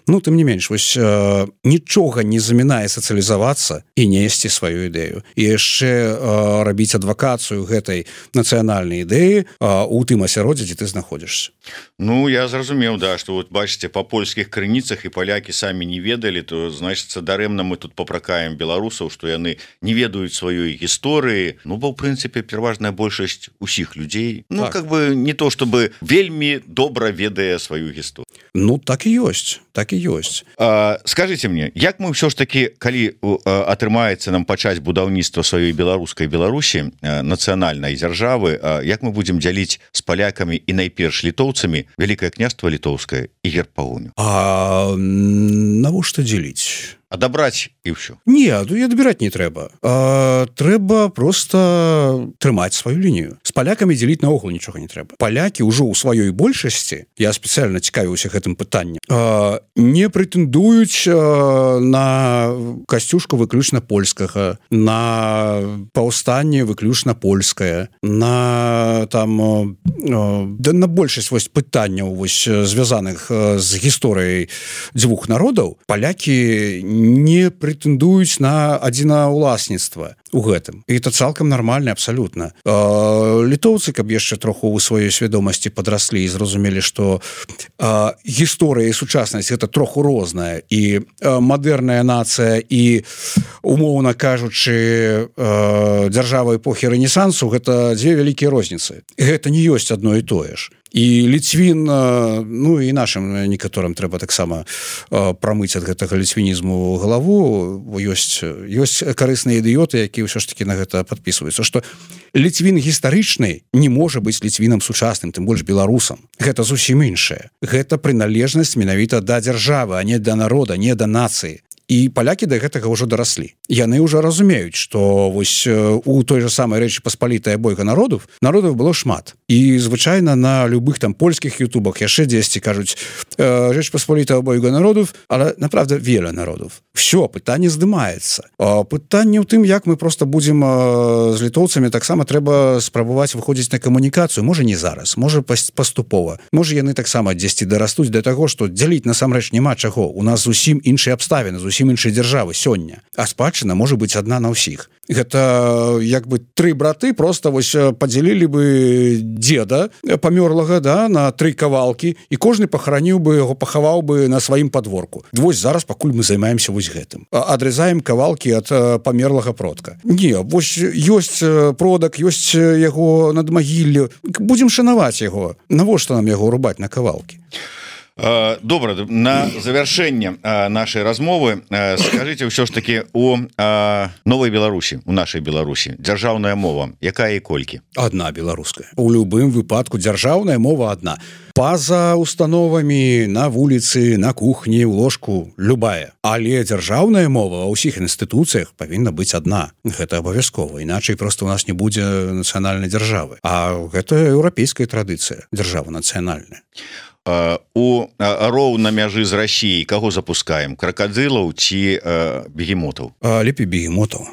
Ну, тым не менш, вось а, нічога не замінае сацыялізавацца і несці сваю ідэю. І яшчэ а, рабіць адвакацыю гэтай нацыянальнай ідэі а, у тым асяроддзі, дзе ты знаходзішся. Ну, я зразумеў, да, што вот бачыце, па польскіх крыніцах і палякі самі не ведалі, то, значыцца, дарэмна мы тут папракаем беларусаў, што яны не ведаюць сваёй гісторыі. Ну, бо, ў прынцыпе, пераважная большасць усіх людзей, ну, так. Как бы не то, чтобы вельмі добра ведае сваю гісторыю. Ну, так і ёсць, так і ёсць. А, скажыце мне, як мы ўсё ж такі, калі а, атрымаецца нам пачаць будаўніцтва сваёй беларускай Беларусі, а, нацыянальнай дзяржавы, а, як мы будзем дзяліць з палякамі і найперш літоўцамі Вялікае княства літоўскае і герб пагоню? А навошта дзеліць? Адабраць і ўсё. Не, і адбіраць не трэба. А, трэба проста трымаць сваю лінію. З палякамі дзеліць наогул нічога не трэба. Палякі ўжо ў сваёй большасці, я спецыяльна цікавіўся гэтым пытаннем, а, не прэтэндуюць а, на касцюшку выключна польскага, на паўстанне выключна польскае, на там а, да, на большасць вось пытанняў вось звязаных з гісторыяй дзвюх народаў. Палякі не прэтэндуюць на адзінаўласніцтва у гэтым. І это цалкам нармальна, абсалютна. Літоўцы, каб яшчэ троху ў сваёй свядомасці падраслі і зразумелі, што а, гісторыя і сучаснасць гэта троху розная, і а, мадэрная нацыя і, умоўна кажучы, а, дзяржава эпохі Рэнесансу гэта дзве вялікія розніцы. Гэта не ёсць адно і тое ж. І ліцвін, ну і нашым некаторым трэба таксама прамыць ад гэтага ліцвінізму галаву, бо ёсць, ёсць карысныя ідыёты, якія ўсё ж такі на гэта падпісваюцца, што ліцвін гістарычны не можа быць ліцвінам сучасным, тым больш беларусам. Гэта зусім іншае. Гэта прыналежнасць менавіта да дзяржавы, а не да народа, не да нацыі. І палякі да гэтага ўжо дараслі. Яны ўжо разумеюць, што вось у той же самай Рэчы Паспалітай абойга народаў, народаў было шмат. І звычайна на любых там польскіх ютубах яшчэ дзесьці кажуць Рэч Паспалітай абойга народаў, але, направда, веля народаў. Всё, пытанне здымаецца. А пытанне ў тым, як мы проста будзем з літоўцамі, таксама трэба спрабаваць выходзіць на камунікацыю. Можа, не зараз, можа, паступова. Можа, яны таксама дзесьці дарастуць да таго, што дзяліць насамрэч няма чаго. У нас зусім іншыя абставіны, зусім іншай дзяржавы сёння, а спадчына можа быць адна на ўсіх. Гэта як бы тры браты просто вось падзялілі бы дзеда памёрлага, да, на тры кавалкі, і кожны пахараніў бы яго, пахаваў бы на сваім падворку. Вось зараз пакуль мы займаемся вось гэтым, адрызаем кавалкі ад памерлага продка. Не, вось ёсць продак, ёсць яго надмагілле, будзем шанаваць яго. Навошта нам яго рубаць на кавалкі? Добра, на завяршэнне нашай размовы скажите ўсё ж таки у новой Беларусі, у нашай Беларусі дзяржаўная мова якая і колькі? Одна беларуская. У любым выпадку дзяржаўная мова одна. Па-за установамі на вуліцы, на кухні, у ложку любая. Але дзяржаўная мова ва ўсіх інстытуцыях павінна быць одна. Гэта абавязкова, іначай просто у нас не будзе нацыянальнай дзяржавы. А гэта еўрапейская традыцыя, дзяржава нацыянальная. У роў на мяжы з Расіяй каго запускаем? Кракадзілаў ці бегемотаў? Лепей бегемотаў.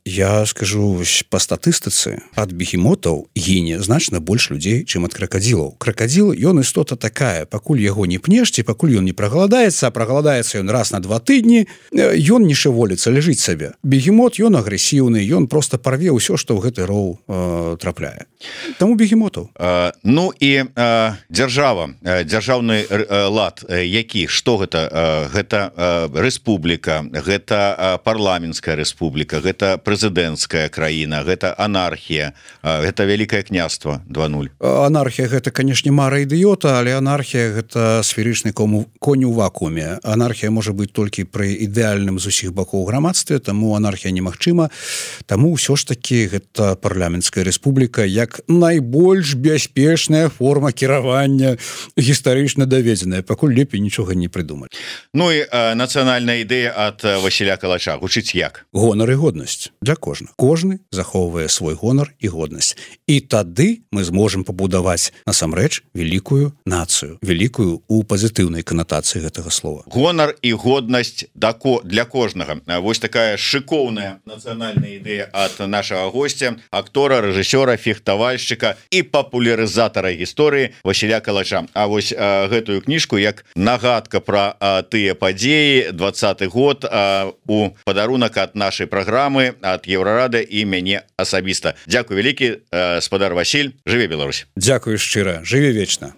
Я скажу по статыстыцы ад бегемотаў гіне значна больш людзей чым ад кракадзілаў. Кракадзіл ён істота такая, пакуль яго не пнешце, пакуль ён не прагаладаецца, а прагаладаецца ён раз на два тыдні, ён не шыволіцца, ляжыць сабе. Бегемот ён агрэсіўны, ён просто парве ўсё, што ў гэты роў э, трапляе. Таму бегемотаў. А, ну і а, дзяржава, дзяржаўны лад які, што гэта? Гэта рэспубліка, гэта парламенцкая рэспубліка, гэта прэзідэнцкая краіна, гэта анархія, гэта вялікае княства два нуль. Анархія гэта, канешне, мара ідыёта, але анархія гэта сферычны конь у вакууме. Анархія можа быць толькі пры ідэальным з усіх бакоў грамадстве, таму анархія немагчыма. Таму ўсё ж такі гэта парламенцкая рэспубліка як найбольш бяспечная форма кіравання, гістарычна даведзеная, пакуль лепей нічога не прыдумалі. Ну і нацыянальная ідэя ад Васіля Калача гучыць як? Гонар і годнасць для кожнага. Кожны захоўвае свой гонар і годнасць. І тады мы зможам пабудаваць насамрэч вялікую нацыю, вялікую у пазітыўнай канатацыі гэтага слова. Гонар і годнасць для кожнага. Вось такая шыкоўная нацыянальная ідэя ад нашага госця, актора, рэжысёра, фехтавальшчыка і папулярызатара гісторыі Васіля Калача. А вось а, гэтую кніжку як нагадка пра а, тыя падзеі двадцаты год а, у падарунак ад нашай праграмы ад Еўрарады і мяне асабіста. Дзякуй вялікі, спадар Васіль, жыве Беларусь. Дзякуй шчыра, жыве вечна.